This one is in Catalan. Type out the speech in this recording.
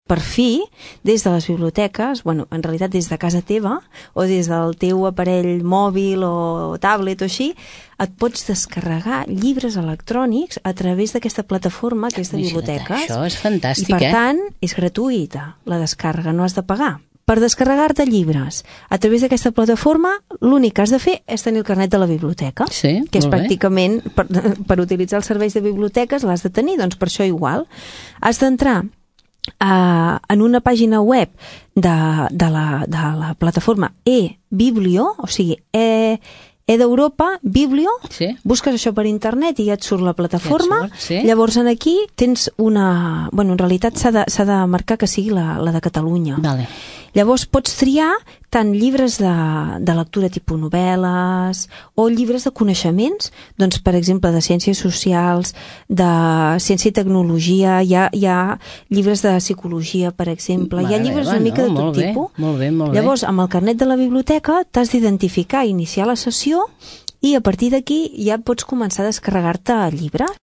per fi, des de les biblioteques, bueno, en realitat des de casa teva, o des del teu aparell mòbil o tablet o així, et pots descarregar llibres electrònics a través d'aquesta plataforma que és de biblioteques. Això és fantàstic, I per tant, és gratuïta la descàrrega, no has de pagar. Per descarregar-te llibres a través d'aquesta plataforma, l'únic que has de fer és tenir el carnet de la biblioteca, Sí, que és molt bé. pràcticament, per utilitzar els serveis de biblioteques l'has de tenir, doncs per això igual. Has d'entrar en una pàgina web de la plataforma eBiblio, o sigui, d'Europa, Biblio, Sí. busques això per internet i ja et surt la plataforma. Ja et surt, sí. Llavors aquí tens una... Bueno, en realitat s'ha de marcar que sigui la de Catalunya. Vale. Llavors pots triar tant llibres de lectura tipus novel·les o llibres de coneixements, doncs per exemple de ciències socials, de ciència i tecnologia, hi ha llibres de psicologia, per exemple, hi ha llibres una mica de tot tipus. Molt bé, molt bé. Llavors, amb el carnet de la biblioteca t'has d'identificar, iniciar la sessió i a partir d'aquí ja pots començar a descarregar-te llibres.